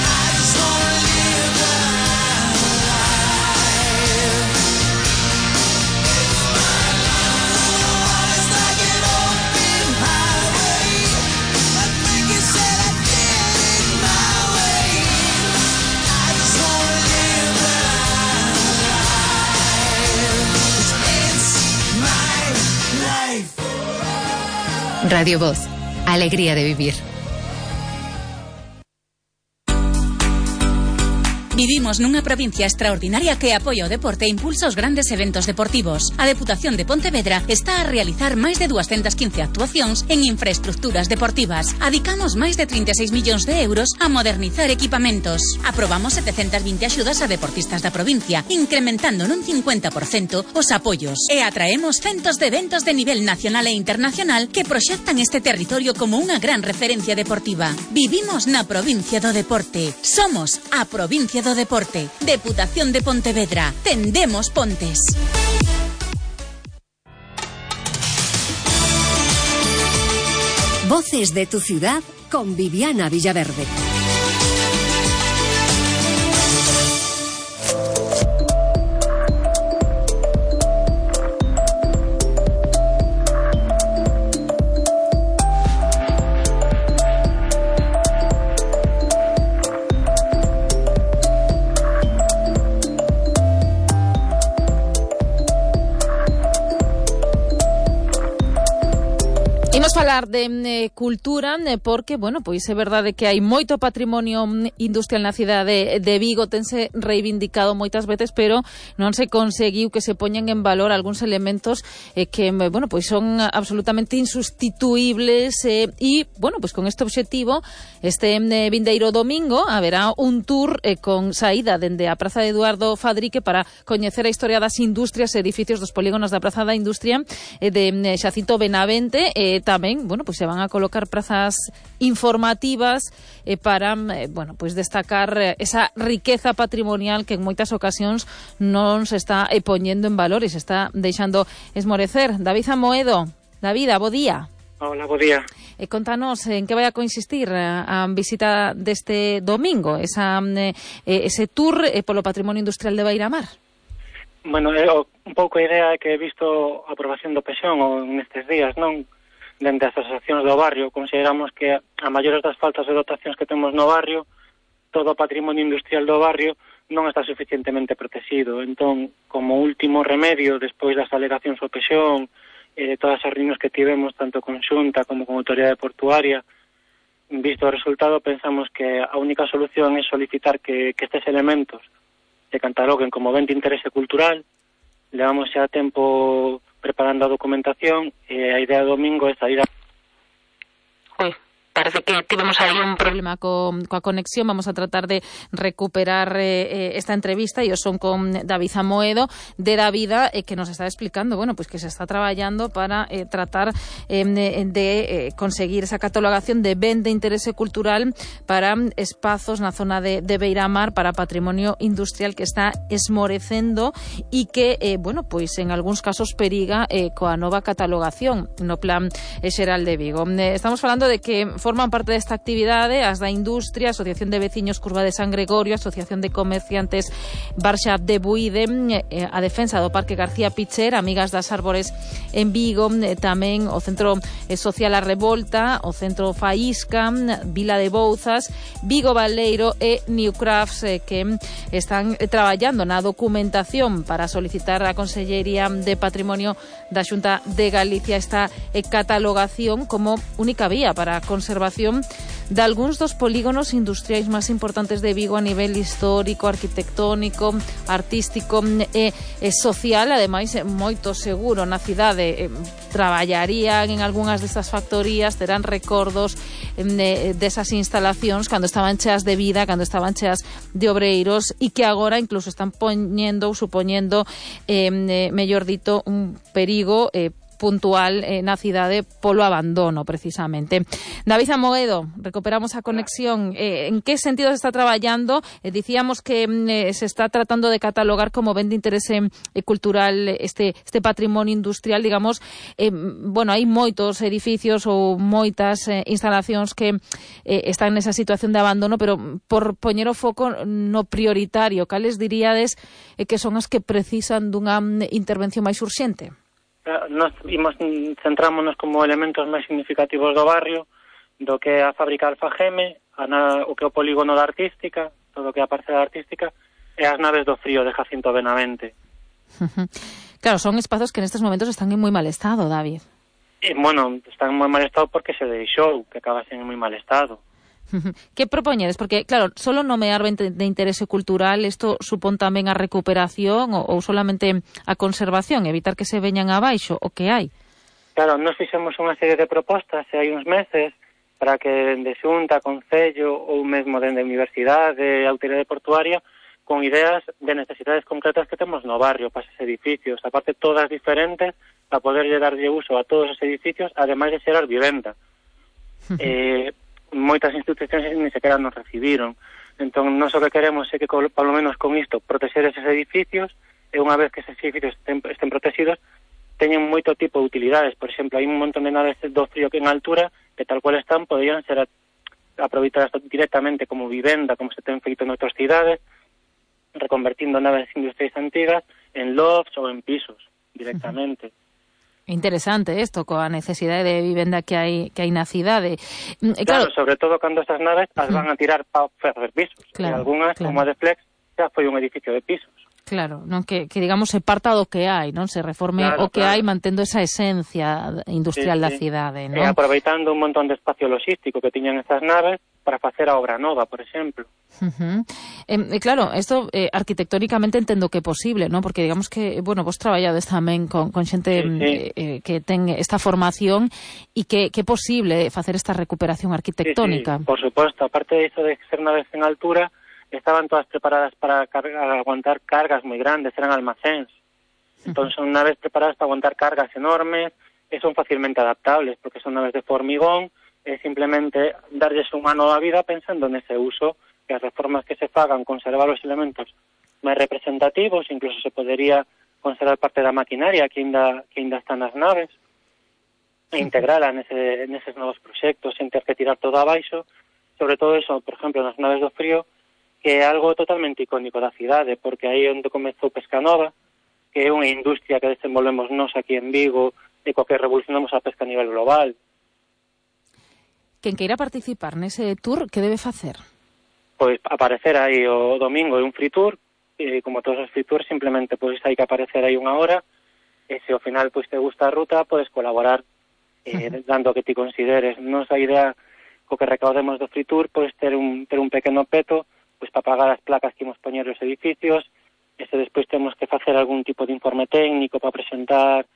I just wanna live my life. It's my life. It's like an open highway. Like Franklin said, I did it my way. I just wanna live my life. It's my life. Radio Voz, alegría de vivir. Vivimos nunha provincia extraordinaria que apoia o deporte e impulsa os grandes eventos deportivos. A Deputación de Pontevedra está a realizar máis de 215 actuacións en infraestructuras deportivas. Adicamos máis de 36 millóns de euros a modernizar equipamentos. Aprobamos 720 axudas a deportistas da provincia, incrementando nun 50% os apoios. E atraemos centos de eventos de nivel nacional e internacional que proxectan este territorio como unha gran referencia deportiva. Vivimos na provincia do deporte. Somos a provincia do deporte. Deputación de Pontevedra. Tendemos pontes. Voces de tu ciudad con Viviana Villaverde. Imos falar de cultura porque, bueno, pois é verdade que hai moito patrimonio industrial na cidade de Vigo, tense reivindicado moitas veces, pero non se conseguiu que se poñan en valor algúns elementos que, bueno, pois son absolutamente insustituibles e, bueno, pois con este obxectivo, este vindeiro domingo haberá un tour con saída dende a Praza de Eduardo Fadrique para coñecer a historia das industrias e edificios dos polígonos da Praza da Industria de Xacinto Benavente. Tamén, bueno, pois se van a colocar prazas informativas para, bueno, pois destacar esa riqueza patrimonial que en moitas ocasións non se está poñendo en valor e se está deixando esmorecer. David Amoedo, David, bo día. Hola, bo día. Contanos en que vai a consistir a visita deste domingo, ese tour polo patrimonio industrial de Beiramar. Bueno, un pouco a idea é que he visto a aprobación do PEXón nestes días, non? Dende as asociacións do barrio, consideramos que a maiores das faltas de dotacións que temos no barrio, todo o patrimonio industrial do barrio non está suficientemente protegido. Entón, como último remedio, despois das alegacións ao PEXón, de todas as reunións que tivemos, tanto con Xunta como con Autoridade Portuaria, visto o resultado, pensamos que a única solución é solicitar que estes elementos se cataloguen como ben de interese cultural. Levamos xa tempo preparando a documentación e a idea do domingo é sair a... parece que tivemos aí un problema coa conexión. Vamos a tratar de recuperar esta entrevista e o son con David Amoedo de Davida, que nos está explicando, bueno, pues que se está traballando para tratar de conseguir esa catalogación de ben de interese cultural para espazos na zona de Beiramar, para patrimonio industrial que está esmorecendo e que, bueno, pois en algúns casos periga coa nova catalogación no Plan Xeral de Vigo. Estamos falando de que forman parte desta actividade as da Industria, Asociación de Veciños Curva de San Gregorio, Asociación de Comerciantes Barxa de Buide, a Defensa do Parque García Picher, Amigas das Árbores en Vigo, tamén o Centro Social A Revolta, o Centro Faísca, Vila de Bouzas, Vigo Baleiro e New Crafts, que están traballando na documentación para solicitar a Consellería de Patrimonio da Xunta de Galicia esta catalogación como única vía para a conservación de algúns dos polígonos industriais máis importantes de Vigo a nivel histórico, arquitectónico, artístico e social. Ademais, moito seguro na cidade traballarían en algunhas destas factorías, terán recordos desas instalacións cando estaban cheas de vida, cando estaban cheas de obreiros, e que agora incluso están poñendo ou supoñendo, mellor dito, un perigo puntual na cidade polo abandono, precisamente. David Amoedo, recuperamos a conexión. En que sentido se está traballando? Dicíamos que se está tratando de catalogar como ben de interese cultural este patrimonio industrial, digamos. Bueno, hai moitos edificios ou moitas instalacións que están nesa situación de abandono, pero por poñer o foco no prioritario, cales diríades que son as que precisan dunha intervención máis urxente? Nos centrámonos como elementos máis significativos do barrio, do que é a fábrica Alfageme, o que é o polígono da Artística, todo o que é a parcela artística, e as naves do Frío de Jacinto Benavente. Claro, son espazos que nestes momentos están en moi mal estado, David. Bueno, están en moi mal estado porque se deixou que acabasen en moi mal estado. Que propoñedes? Porque, claro, solo nomear ben de interese cultural, isto supón tamén a recuperación ou solamente a conservación, evitar que se veñan abaixo, o que hai? Claro, nos fixemos unha serie de propostas hai uns meses para que de Xunta, Concello ou mesmo dende a Universidade, Autoridade Portuaria, con ideas de necesidades concretas que temos no barrio para esos edificios, aparte todas diferentes, para poderlle darlle uso a todos os edificios, ademais de xerar vivenda. Moitas institucións ni sequera nos recibiron. Entón, nós o que queremos é que, polo menos con isto, protexer eses edificios, e unha vez que eses edificios estén protegidos, teñen moito tipo de utilidades. Por exemplo, hai un montón de naves do Frío que en altura, que tal cual están, poderían ser aproveitadas directamente como vivenda, como se ten feito en outras cidades, reconvertindo naves industriais antigas en lofts ou en pisos, directamente. Interesante isto, coa necesidade de vivenda que hai na cidade. Claro, sobre todo cando estas naves as van a tirar para facer pisos. Claro, e algunhas, como a de Flex, xa foi un edificio de pisos. Claro, non que digamos se parta do que hai, non se reforme o que hai mantendo esa esencia industrial da cidade, non? E aproveitando un montón de espacio logístico que tiñan estas naves para facer a obra nova, por exemplo. Claro, isto arquitectónicamente entendo que é posible, non? Porque digamos que, bueno, vos traballades tamén con xente que ten esta formación e que é posible facer esta recuperación arquitectónica. Por suposto, aparte de iso de ser naves en altura, estaban todas preparadas para aguantar cargas moi grandes, eran almacéns. Entón son naves preparadas para aguantar cargas enormes e son facilmente adaptables, porque son naves de formigón, e simplemente darlles un ano da vida pensando nese uso, que as reformas que se fagan, conservar os elementos máis representativos, incluso se podería conservar parte da maquinaria que ainda está nas naves, e integrala neses novos proxectos, sen ter que tirar todo abaixo. Sobre todo eso, por exemplo, nas naves do Frío, que é algo totalmente icónico da cidade, porque aí onde comezou Pescanova, que é unha industria que desenvolvemos nós aquí en Vigo, e coa que revolucionamos a pesca a nivel global. Quen queira participar nese tour, que debe facer? Pois aparecer aí o domingo é un free tour, e como todos os free tours, simplemente pois hai que aparecer aí unha hora, e se ao final pois te gusta a ruta, podes colaborar dando o que ti consideres. Nos a idea co que recaudemos do free tour, pois ter un pequeno peto pois para pagar as placas que imos poñer os edificios, e se despois temos que facer algún tipo de informe técnico para presentar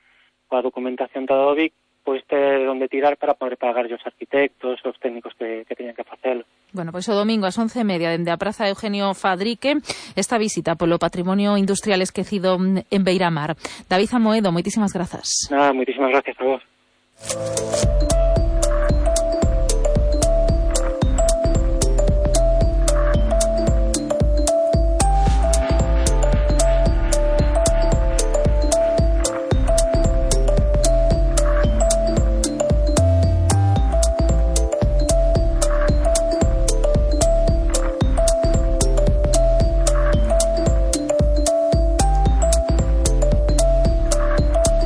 coa documentación toda do BIC, pois ter onde tirar para poder pagar os arquitectos, os técnicos que teñan que facelo. Bueno, pois o domingo ás 11:30 dende a Praza Eugenio Fadrique esta visita polo patrimonio industrial esquecido en Beiramar. David Amoedo, moitísimas grazas. Nada, moitísimas gracias a vos.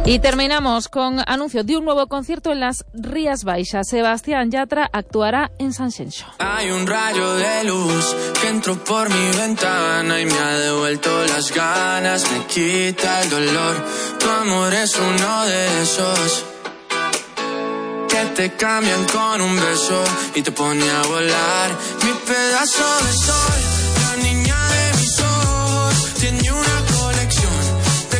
Y terminamos con anuncio de un nuevo concierto en las Rías Baixas. Sebastián Yatra actuará en Sanxenxo. Hay un rayo de luz que entró por mi ventana y me ha devuelto las ganas, me quita el dolor. Tu amor es uno de esos que te cambian con un beso y te pone a volar. Mi pedazo de sol, la niña de mis ojos, tiene una colección.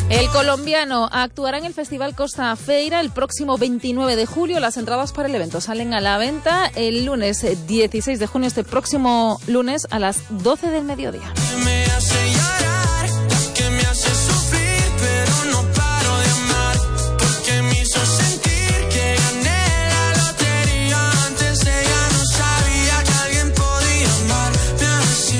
El colombiano actuará en el Festival Costa Feira el próximo 29 de julio. Las entradas para el evento salen a la venta el lunes 16 de junio, este próximo lunes a las 12 del mediodía. Me hace llorar, que me hace sufrir, pero no paro de amar, porque me hizo sentir que gané la lotería. Antes de ella no sabía que alguien podía amarme así.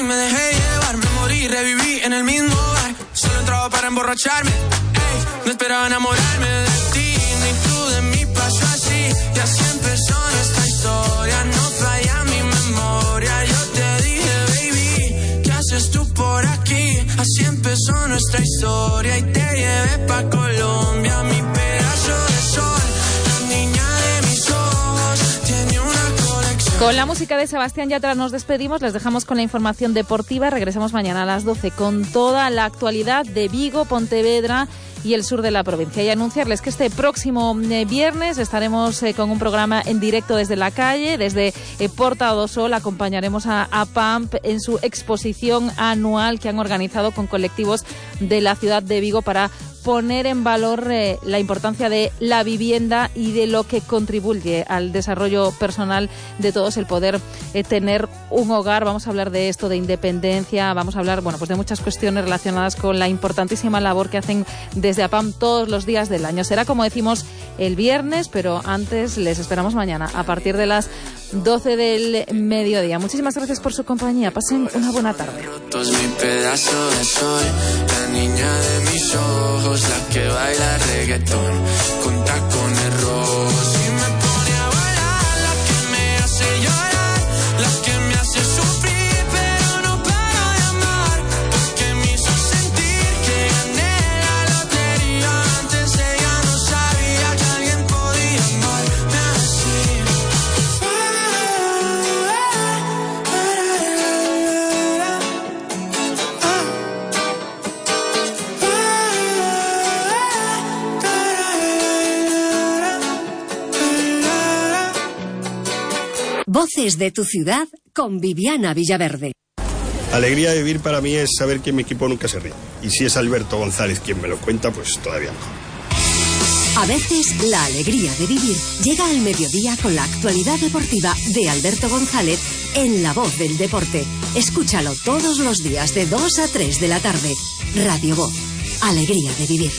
Me dejé llevar, me morí, reviví en el mismo bar. Solo entraba para emborracharme, ey, no esperaba enamorarme de ti, ni tú de mí, pasó así. Y así empezó nuestra historia, no falla mi memoria. Yo te dije, baby, ¿qué haces tú por aquí? Así empezó nuestra historia y te llevé pa' Colombia, mi pedazo de sol, la niña de mis ojos, tiene una colección. Con la música de Sebastián Yatra nos despedimos, les dejamos con la información deportiva, regresamos mañana a las 12 con toda la actualidad de Vigo, Pontevedra y el sur de la provincia. Y anunciarles que este próximo viernes estaremos con un programa en directo desde la calle, desde Porta do Sol. Acompañaremos a PAMP en su exposición anual que han organizado con colectivos de la ciudad de Vigo para poner en valor la importancia de la vivienda y de lo que contribuye al desarrollo personal de todos, el poder tener un hogar. Vamos a hablar de esto, de independencia, vamos a hablar, bueno, pues de muchas cuestiones relacionadas con la importantísima labor que hacen desde APAM todos los días del año. Será, como decimos, el viernes, pero antes les esperamos mañana a partir de las 12 del mediodía. Muchísimas gracias por su compañía. Pasen una buena tarde. Rotos mi pedazo de sol, la niña de mis ojos, la que baila reggaetón con tacones rojos y me pone a bailar, la que me hace llorar, la que me hace sufrir, pero no paro de amar, porque me hizo sentir que gané la lotería. Antes ella no sabía que alguien podía amarme así. Voces de tu ciudad con Viviana Villaverde. Alegría de vivir para mí es saber que mi equipo nunca se rinde. Y si es Alberto González quien me lo cuenta, pues todavía mejor. A veces la alegría de vivir llega al mediodía con la actualidad deportiva de Alberto González en La Voz del Deporte. Escúchalo todos los días de 2 a 3 de la tarde. Radio Voz. Alegría de vivir.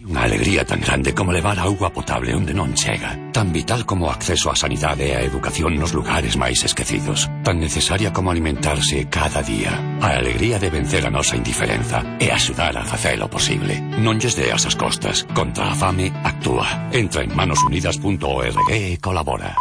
Unha alegría tan grande como levar auga potable onde non chega. Tan vital como o acceso á sanidade e á educación nos lugares máis esquecidos. Tan necesaria como alimentarse cada día. A alegría de vencer a nosa indiferenza e axudar a facelo posible. Non lles deas as costas. Contra a fame, actúa. Entra en manosunidas.org e colabora.